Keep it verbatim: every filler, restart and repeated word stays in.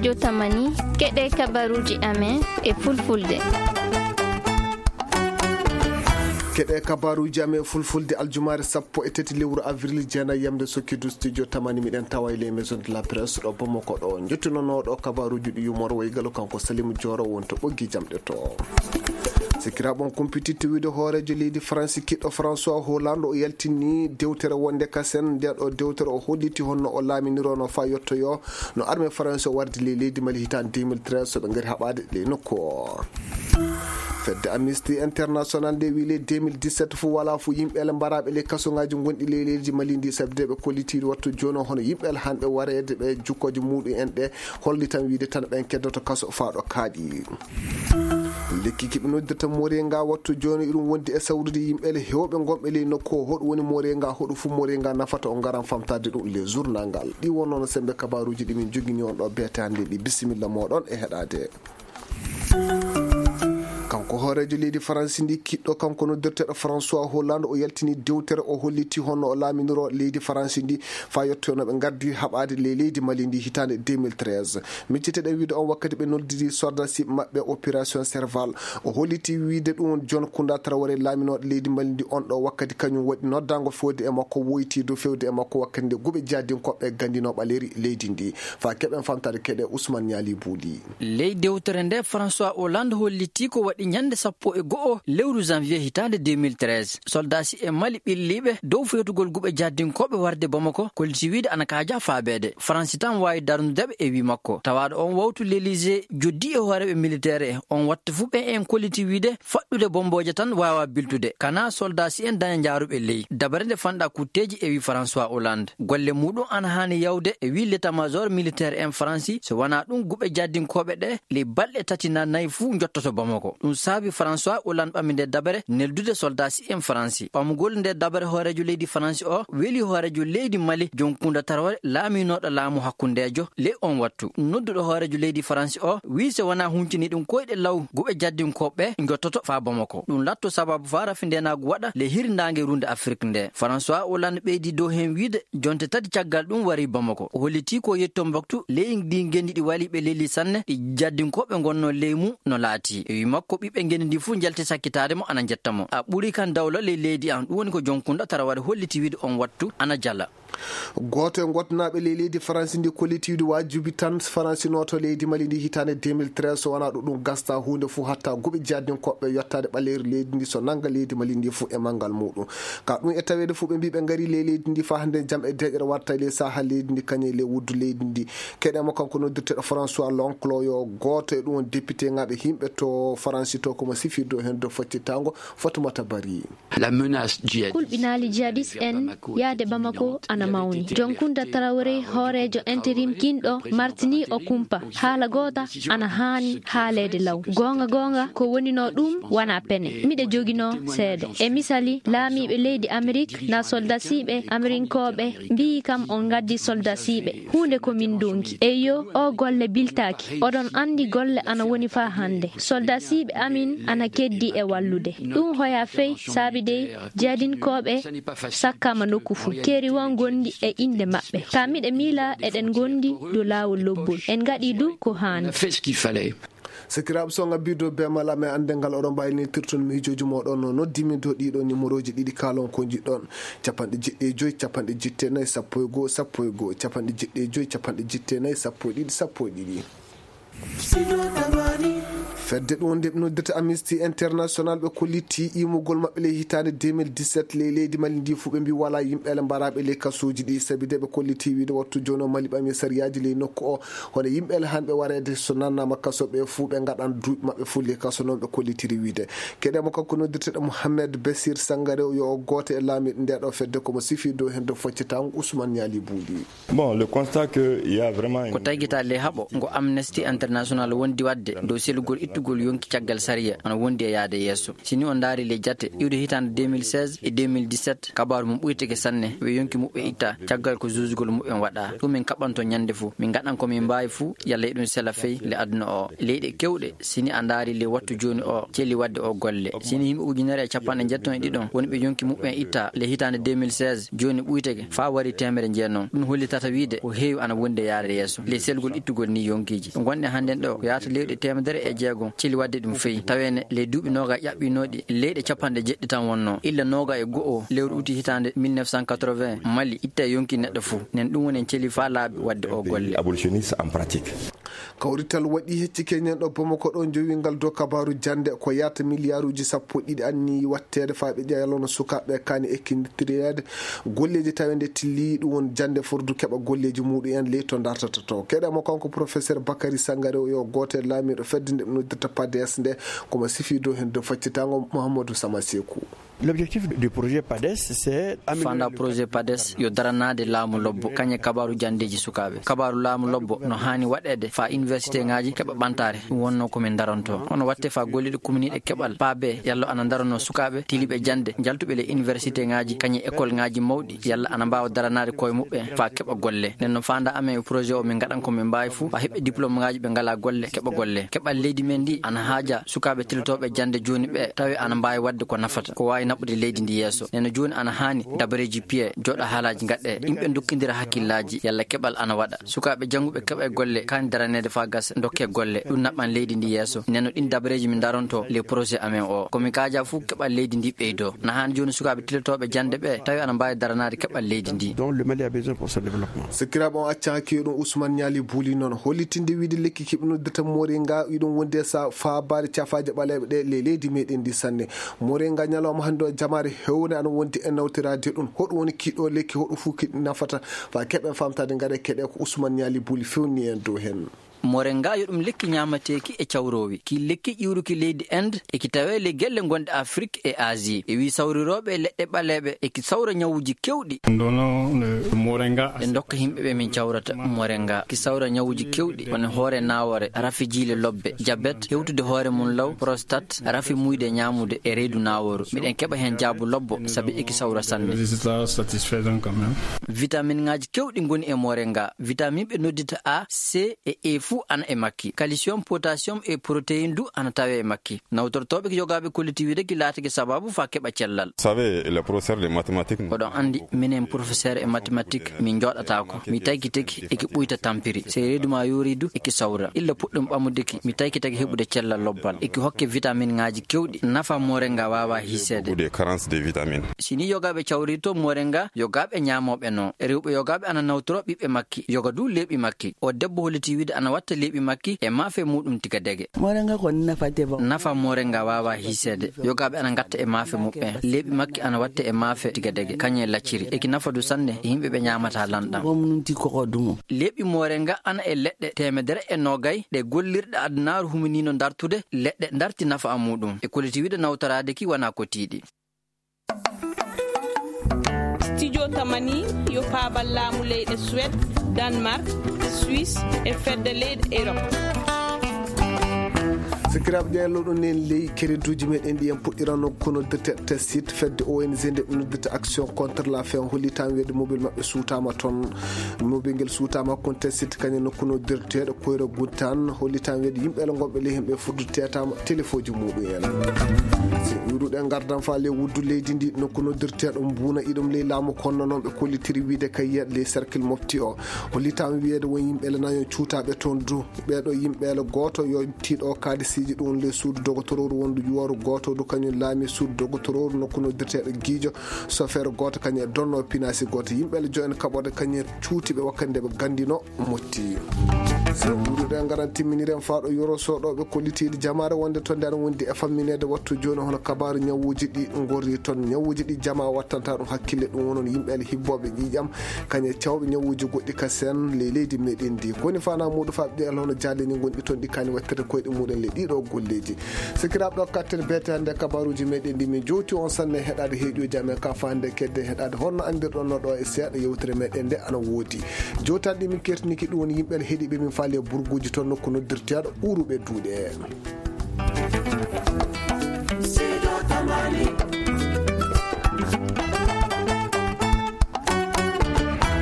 Jotamani, keɗe kabaruuji amen e fulfulde. Keɗe kabaruuji amen e fulfulde aljumaare sappo e tati lewru avril jeenayi yamde sokkidu studio tamani miɗen tawa e les maison de la presse ɗo Bamako ɗo. Njettunonooɗo kabaruuji ɗi yumor waygalo kanko Salimu Jooro wonto ɓoggi jamɗe to. Sikiraaɓe on kumpititte wiide hooreejo leydi Faransi kiɗɗo François Hollande o yaltini dewtere wonde kasen nde ɗo dewtere o holliti honno o laaminirono faa yottoyo no armée Faransi o wardi ley leydi Mali hitaande deux mille treize so ɓe ngari haɓaade ley nokku o. Fedde Amnesty International nde wi ley deux mille dix-sept fof wala fof yimɓe ele mbaraaɓe ley kasoŋaaji gonɗi ley leydi Mali ndi sabi de ɓe kollitiiɗo wattu jooni o hono yimɓe ele hanɓe wareede ɓe jukkooje muɗum en ɗe holli tan wiide tan ɓen keddoto kaso faa ɗo kaaɗi. Lekki ki ɓe noddirta moringa wattu jooni iɗum wondi e sawrude yimɓe ele heewɓe gonɓe ley nokku o hoɗum woni moringa hoɗum fof moringa nafata o ngaran famtaade ɗum le journal ngal ɗi wonnono sembe kabaruuji ɗi min jogini on ɗo beete hannde ɗi bisimilla moɗon e heɗaade. Kanko hooreejo leydi Faransi ndi kiɗɗo kanko noddirteeɗo François Hollande o yaltini dewtere o holliti honno o laaminiro leydi Faransi ndi faa yettoyno ɓe ngardi haɓaade ley leydi Mali ndi hitaande deux mille treize. Micciteɗen wiide on wakkati ɓe noddiri soldasi maɓɓe opération Serval o holliti wiide ɗum John Kounda Traoré laaminooɗo leydi Mali ndi on ɗo wakkati kañum waɗi noddaango fewde e makko woyti dow fewde e makko wakkati nde guɓe jaadinkoɓe gandino ɓaleri leydi ndi faa keɓen famtaade keɗe Ousmane Niali Bouli. Ley dewtere nde François Hollande hollitii ko waɗi ñande sappo e go'o lewru janvier hitaande deux mille treize, soldasi e Mali ɓilliiɓe dow fewtugol guɓe jaddinkooɓe warde Bamako, kolliti wiide ana kaaja faabeede. Faransi tan waawi darnude ɓe e wii makko. Tawaaɗo on wawtu l'Elysée joddi e hooreeɓe militaire en. On wattu fuu ɓe en kolliti wiide faɗɗude bombooje tan waawa biltude. Kana soldasi en daña njaaruɓe ley. Dabare nde fanɗa kutteeji e wii François Hollande. Golle muɗum ana haani yawde e wii l'état-major militaire en Faransi, so wanaa ɗum guɓe jaddinkooɓe ɗe ley balɗe tati na nayi fuu njottoto Bamako. Ɗum saabi François Hollande ɓami nde dabare neldude soldasi en Faransi. Ɓamugol nde dabare hooreejo leydi Faransi o weli hooreejo leydi Mali John Kounda Traoré laaminooɗo laamu hakkundeejo ley on wattu. Nodduɗo hooreejo leydi Faransi o wii so wanaa huncini ɗum koyɗe law guɓe jaddinkooɓe njottoto faa Bamako. Ɗum latto sababu faa rafi ndenaagu waɗa ley hirnaange runde Afrik nde. François Hollande ɓeydi dow heen wiide jonte tati caggal ɗum wari Bamako. O hollitii ko yetto mboktu ley ndi ngenndi ɗi waliiɓe leydi sanne ɗi jaddinkooɓe ngonno ley mum no laatii. E wii makko ɓiɓɓe ngenndi ndi fuu njalti sakkitaade mo ana njetta mo. A ɓuri kan dawla ley leydi an. Ɗum woni ko John Kounda Traoré holliti wiide on wattu ana jala. Gooto e ngotnaaɓe ley leydi Faransi ndi kollitiiɗo waajibi tan Faransi nooto leydi Mali ndi hitaande deux mille treize so wanaa ɗum ɗum gasta huunde fof hatta guɓe jaddinkooɓe yottaade ɓaleeri leydi ndi so nannga leydi Mali ndi fof e manngal muɗum. Ka ɗum e taweede fof ɓe mbii ɓe ngari ley leydi ndi faa hannde jam e deeƴere watta ley saha leydi ndi kañe ley wuddu leydi ndi. Keɗe mo kanko noddirteɗo François Lonclo yo gooto e ɗum député ŋaaɓe yimɓe to Faransi to komo sifirde o heen dow faccitango Fatoumata Bari. La menace djihadiste. Kulɓinaali jihadiste en yahde Bamako ana mawni. John Kounda Traoré, hooreejo interim kinɗo, martini o kumpa. Haala goota ana haani haaleede law. Goonga goonga, ko woninoo ɗum wonaa pene. Miɗa joginoo seede. E misali, laamiiɓe leydi Amerik na soldasiiɓe Amerinkooɓe mbiyi kam on ngaddi soldasiiɓe. Huunde ko min ndonki. Eyyo, o golle biltaaki. Oɗon anndi golle ana woni faa hannde. Soldasiiɓe amin ana keddi e wallude. Ɗum hoya fey saabi dey jihadinkooɓe sakkaama nokku fuu. Keeri won gonɗi e innde maɓɓe. Ka miɗa miila eɗen ngondi dow laawol lobbol. En ngaɗi du ko haani. Sakiraaɓe so ngabbii dow beemal amen annde ngal oɗon mbaawi nirtirton miijooji mooɗon no noddimi dow ɗiɗo nimorooji ɗiɗi kaalon ko njiɗɗon. Capanɗe jeɗɗi e joyi, capanɗe jeɗɗi e nayi, sappo e goo, sappo e goo, capanɗe jeɗɗi e joyi, capanɗe jeɗɗi e nayi, sappo e ɗiɗi, sappo e ɗiɗi. Fedde ɗum nde ɓe noddirta Amnesty International ɓe kolliti imugol maɓɓe ley hitaande deux mille dix-sept ley leydi Mali ndi fof ɓe mbi wala yimɓe ele mbaraaɓe ley kasuuji ɗi sabi de ɓe kolliti wiide wattu jooni o Mali ɓami sariyaaji ley nokku o hono yimɓe ele hanɓe wareede so nannaama kaso ɓe fof ɓe ngaɗan duuɓi maɓɓe fof ley kaso noon ɓe kollitiri wiide. Keɗe mo kanko noddirteɗo Mohamed Bessir Sangare yo o gooto e laamiiɗo nde ɗo fedde komo sifi dow heen dow foccitaango Ousmane Niali Buuli. Bon, le constat que il y a vraiment une... Ko tagita le haɓo ngo Amnesty International wondi waɗde dow selugol ittu ittugol yonki caggal sariya ana wondi e yaade yeeso. Si ni on ndaari ley jate iwde hitaande deux mille seize e deux mille dix-sept, kabaaru mum ɓuytake sanne, ɓe yonki muɓɓen itta caggal ko juujugol muɓɓen waɗa. Ɗum min kaɓɓanto ñande fuu, min ngaɗan ko min mbaawi fuu, yalla e ɗum sela fey le aduna o. Leyɗe kewɗe, si ni a ndaari le wattu jooni o, celi waɗde o golle. Si ni yimɓe ujunere e capanɗe njetton e ɗiɗon woni ɓe yonki muɓɓen itta le hitaande deux mille seize, jooni ɓuytake faa wari teemere jeenon. Ɗum hollitata wiide ko heewi ana wondi e yaade yeeso le selgol ittugol ni yonkiiji. Ɗo ngonɗen hannden ɗo ko yaata lewɗe teemedere e jeegom celi waɗde ɗum fey. Tawene le duuɓi nooga ƴaɓɓinooɗi leyɗe capanɗe jeɗɗi tan wonno. Illa nooga e go'o lewru uti hitaande mille neuf cent quatre-vingts, Mali itta yonki neɗɗo fuu. Nen ɗum woni en celi faa laabi waɗde o golle. Abolitionniste en pratique. Kawrital waɗi hecci keñen ɗo Bamako ɗo, jowingal dow kabaaru jannde ko yaata miliyaaruuji sappo ɗiɗi anni watteede faa ɓe ƴeelono sukaaɓe kaani ekkindireede golleeji taweede tilli ɗum woni jannde fordu keɓa golleeji muɗum en ley to dartata to. Keɗe mo kanko professeur Bakary Sangaré, o yo gooto e laamiiɗo fedde nde ɓe noddirta pades nde, komo sifi dow heen dow faccitango Mouhamadou Sama Sekou. L'objectif du projet pades, c'est améliorer Fanda le projet pades yo daranaade laamu lobbo, kañe kabaaru janndeeji sukaaɓe. Kabaaru laamu lobbo no haani waɗeede faa université ŋaaji keɓa ɓantaare, ɗum wonno ko min daranto. Hono watte faa golliiɗo kuminiiɗo keɓal paabe, yalla ana daranoo sukaaɓe tiliiɓe jannde, njaltuɓe le université ŋaaji, kañe école ŋaaji mawɗi, yalla ana mbaawa daranaade koye muɓɓen faa keɓa golle. Nden no fanda amen e projet o, min ngaɗan ko min mbaawi fuu faa heɓɓe diplôme ŋaaji ɓe ngalaa golle, keɓa golle. Keɓal leydi men ndi ana haaja sukaaɓe tilotooɓe jannde jooni ɓe, tawi ana mbaawi waɗde ko nafata, ko waawi naɓude leydi ndi yeeso. Nden no jooni ana haani dabareeji piye, jooɗa haalaaji ngaɗe, yimɓe ndokkindira hakkillaaji, yalla keɓal ana waɗa. Sukaaɓe jannguɓe keɓa e golle, kaani daraneede faa gasa, ndokke golle. Ɗum naɓan leydi ndi yeeso. Nden no ɗin dabareeji min daronto le projet amen o. Ko mi kaaja fuu keɓal leydi ndi ɓeydo. Na haani jooni sukaaɓe tilotooɓe jannde ɓe, tawi ana mbaawi daranaade keɓal leydi ndi. Dont le Mali a besoin pour son développement. Sikkiraaɓe on acca hakkee ɗum Ousmane Niali Bouli noon. Hollitinde wiide lekki kiɓnoddirta Moringa, iɗum wonde sa faabaade cafaaje ɓaleeɓe ɗe le leydi meɗen ndi sanne. Moringa ñalawma hannde o jamaare hewre ana wondi e nawtiraade ɗum. Hoɗum woni kiɗo lekki, hoɗum fuu kiɗi nafata. Faa keɓen famtaade ngare keɗe ko Ousmane Niali Bouli fewni en dow heen. Moringa yo ɗum lekki ñaamateeki e cawroowi. Ki lekki ƴiwruki leydi Inde e ki tawee le gelle gonɗe Afrik e Asie. E wii sawrirooɓe leɗɗe ɓaleeɓe e ki sawra ñawuuji kewɗi. Ndono le Moringa. Ɓe ndokka yimɓe ɓe min cawrata Moringa. Ki sawra ñawuuji kewɗi, woni hoore naawore, rafi jiile lobbe, jabet, hewtude hoore mum law, prostate, rafi muyde ñaamude e reedu naaworu. Miɗen keɓa heen jaabu lobbo, sabi e ki sawra sanne. Résultat satisfaisant quand même. Vitamine ŋaaji kewɗi ngoni e Moringa. Vitamine ɓe noddita A, C e E fuu ana e makki. Calcium, potassium e protéine du ana tawee e makki. Nawtortooɓe ki yogaaɓe kolliti wiide ki laatake sababu faa keɓa cellal. Vous savez, les professeurs de mathématiques, oɗon anndi, minen professeur e mathématique, min njooɗataako. Mi taykitake e ki ɓuyta tampiri. Sey reedu ma yoori du e ki sawra. Illa puɗɗum ɓamude ki, mi taykitake heɓude cellal lobbal. E ki hokke vitamine ŋaaji kewɗi. Nafa Moringa waawaa hiiseede. Beaucoup de carence de vitamines. Si ni yogaaɓe cawrirto Moringa, yogaaɓe ñaamooɓe no. Rewɓe yogaaɓe ana nawtoro ɓiɓɓe makki. Yoga du leeɓi makki. O debbo holliti wiide ana watta leeɓi makki e maafe muɗum tiga dege. Moringa ko nafa te ba. Nafa Moringa waawaa hiiseede. Yogaaɓe ana ngatta e maafe muɓɓen. Leeɓi makki ana watta e maafe tiga dege. Kañe lacciri. E ki nafa du sanne e yimɓe ɓe ñaamata lanɗam. Ko mum ti ko ko dumo. Leeɓi Moringa ana e leɗɗe teemedere e noogay ɗe gollirɗe adunaaru huminiino dartude, leɗɗe darti nafa muɗum. E kolliti wiide nawtoraade ki wona ko tiiɗi. Studio Tamani yo paabal laamu leyɗe Suède, Danemark, Suisse e fedde leyɗe Europe. Sikiraaɓe ƴeeloɗo nen ley kereduuji meɗen ɗi en puɗɗirano kono dirte test site fedde O N G nde ɓe noddirta Action contre la faim, hollitan weede mobile maɓɓe suutama toon. Mobile ngel suutama kon test site kañum nokku noddirteeɗo Koyra Guttan, hollitan weede yimɓe gonɓe ley hemɓe fuddu tetama telefoji muɗum en. Si wiruɗen gardan fa ley wuddu leydi ndi nokku noddirteeɗo Mbuna iɗum ley laamu konno noon ɓe kollitiri wiide kay yiyat ley cercle mofti o. Hollitan wiyeede won yimɓe le nayo cuutaɓe toon du. Ɓeeɗo yimɓe le gooto yo tiiɗo kaadisiiji ɗum le suudu dogotorooru wondu yuwaru gooto du kañum laami suudu dogotorooru nokku noddirteeɗo Giijo. Sofeer gooto kañum e donno pinaasi gooto. Yimɓe le jo'en kaɓorde kañum cuuti ɓe wakkati nde ɓe gandino motti. Ɗuɗuɗe ngaran timminiren faaɗo yoro soɗoɓe kollitiiɗi jamaare wonde to nder wondi e fammineede wattu jooni hono kabaaru ñawuuji ɗi ngorri toon. Ñawuuji ɗi jama wattanta ɗum hakkille ɗum wonon yimɓe le hibboɓe ƴiiƴam kañe cawɓe ñawuuji goɗɗi ka sen le leydi meɗen ndi. Koni fana muɗum faɓɓe ɗi alhono jaalini gonɗi toon ɗi kani wattirde koyɗe muɗen le ɗiɗo golleeji. Sikiraaɓe ɗo kattere beete hannde kabaaruuji meɗen ndi min jowti on sanne heɗaade heeƴuji amen ka fa hannde kedde heɗaade honno anndirɗon no ɗo e seeɗa yewtere meɗen nde ana woodi. Jowtaɗi ɗi min kertiniki ɗum woni yimɓe heɗiɓe min faale burguuji toon nokku noddirteeɗo Ɓuuruɓe Duuɗe.